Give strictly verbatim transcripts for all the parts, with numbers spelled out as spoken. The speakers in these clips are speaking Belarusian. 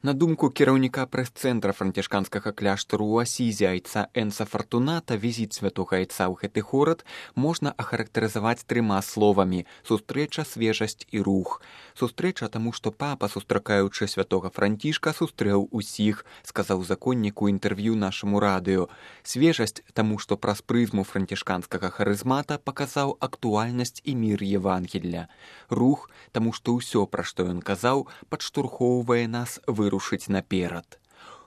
На думку кіраўніка прэс-цэнтра францішканскага кляштару ў Асізе айца Энса Фартуната, візіт святога айца ў гэты горад можна ахарактарызаваць трыма словамі: сустрэча, свежасць і рух. Сустрэча, таму што папа, сустракаючы святога Францішка, сустрэў усіх, сказаў законнік у інтэрв'ю нашаму радыё. Свежасць, таму што праз прызму францішканскага харызмата паказаў актуальнасць і мір Евангелля. Рух, таму што ўсё, пра што ён казаў, падштурхоўвае нас вырушыць наперад.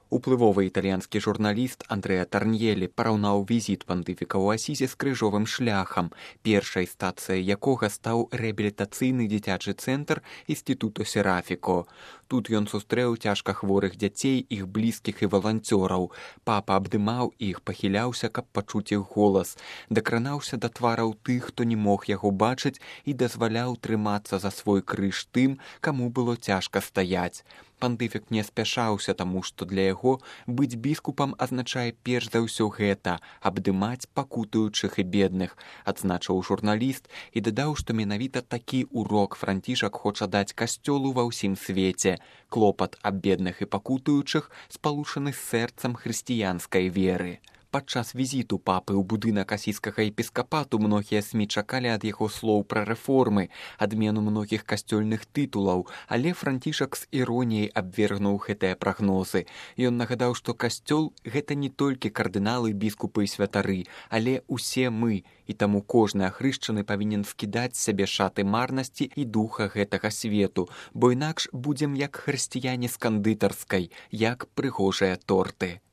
Уплывовы італьянскі журналіст Андрэа Тарньелі параўнаў візіт пантыфіка ў Асізе з крыжовым шляхам, першай стацыяй якога стаў рэабілітацыйны дзіцячы цэнтр Інстытуту Серафіко. Тут ён сустрэў цяжка хворых дзяцей, іх блізкіх і валанцёраў. Папа абдымаў іх, пахіляўся, каб пачуць іх голас, дакранаўся да твараў тых, хто не мог яго бачыць, і дазваляў трымацца за свой крыж тым, каму было цяжка стаяць. Пантыфік не спяшаўся, таму што для яго быць біскупам азначае перш за ўсё гэта — абдымаць пакутуючых і бедных, адзначыў журналіст і дадаў, што менавіта такі урок Францішак хоча даць касцёлу ва ўсім свеце. Клопат аб бедных і пакутуючых спалучаны з сэрцам хрысціянскай веры. Падчас візіту папы ў будынак асійскага епіскапату многія СМІ чакалі ад яго слоў пра рэформы, адмену многіх касцёльных тытулаў, але Францішак з іроніяй абвергнуў гэтыя прагнозы. Ён нагадаў, што касцёл — гэта не толькі кардыналы, біскупы і святары, але ўсе мы, і таму кожны ахрышчаны павінен скідаць з сябе шаты марнасці і духа гэтага свету, бо інакш будзем як хрысціяне з кандытарскай, як прыгожыя торты.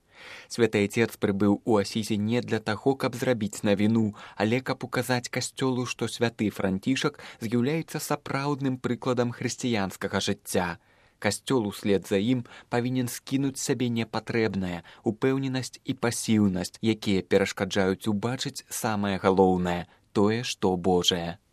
Святы Айцец прыбыў у Асізе не для таго, каб зрабіць навіну, але каб указаць касцёлу, што святы Францішак з'яўляецца сапраўдным прыкладам хрысціянскага жыцця. Касцёл услед за ім павінен скінуць сабе непатрэбнае, упэўненасць і пасіўнасць, якія перашкаджаюць убачыць самае галоўнае — тое, што Божае.